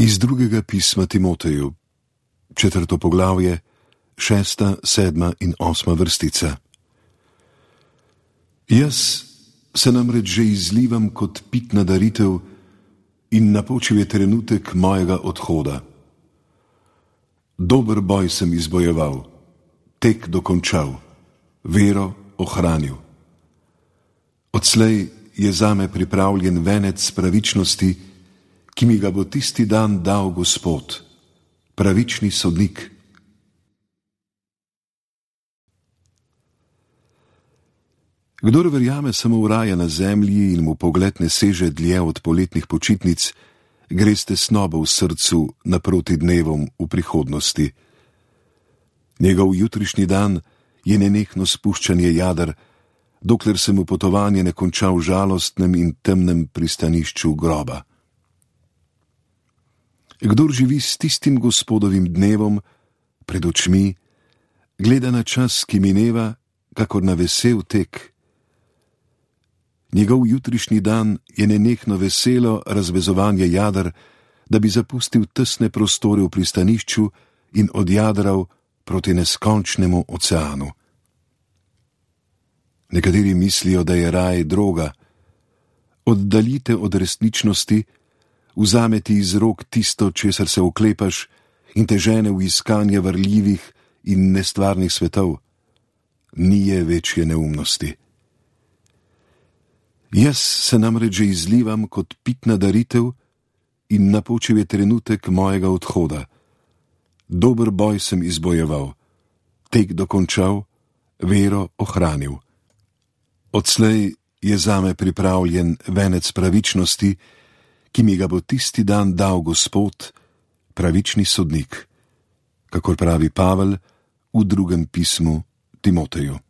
Iz drugega pisma Timoteju, 4. poglavje, 6., 7. in 8. vrstica. Jaz se namreč že izlivam kot pitna daritev in napočil je trenutek mojega odhoda. Dober boj sem izbojeval, tek dokončal, vero ohranil. Odslej je zame pripravljen venec pravičnosti, ki mi ga bo tisti dan dal Gospod, pravični sodnik. Kdor verjame samo v raje na zemlji in mu pogled ne seže dlje od poletnih počitnic, gre s tesnobo v srcu naproti dnevom v prihodnosti. Njegov jutrišnji dan je nenehno spuščanje jader, dokler se mu potovanje ne konča v žalostnem in temnem pristanišču groba. Kdor živi s tistim Gospodovim dnevom pred očmi, gleda na čas, ki mineva, kakor na vesel tek. Njegov jutrišnji dan je nenehno veselo razvezovanje jader, da bi zapustil tesne prostore v pristanišču in odjadral proti neskončnemu oceanu. Nekateri mislijo, da je raj droga. Oddaljite od resničnosti, vzame ti iz rok tisto, česar se oklepaš, in te žene v iskanje varljivih in nestvarnih svetov. Ni je večje neumnosti. Jaz se namreč že izlivam kot pitna daritev in napočil je trenutek mojega odhoda. Dober boj sem izbojeval, tek dokončal, vero ohranil. Odslej je zame pripravljen venec pravičnosti, ki mi ga bo tisti dan dal Gospod, pravični sodnik, kakor pravi Pavel v drugem pismu Timoteju.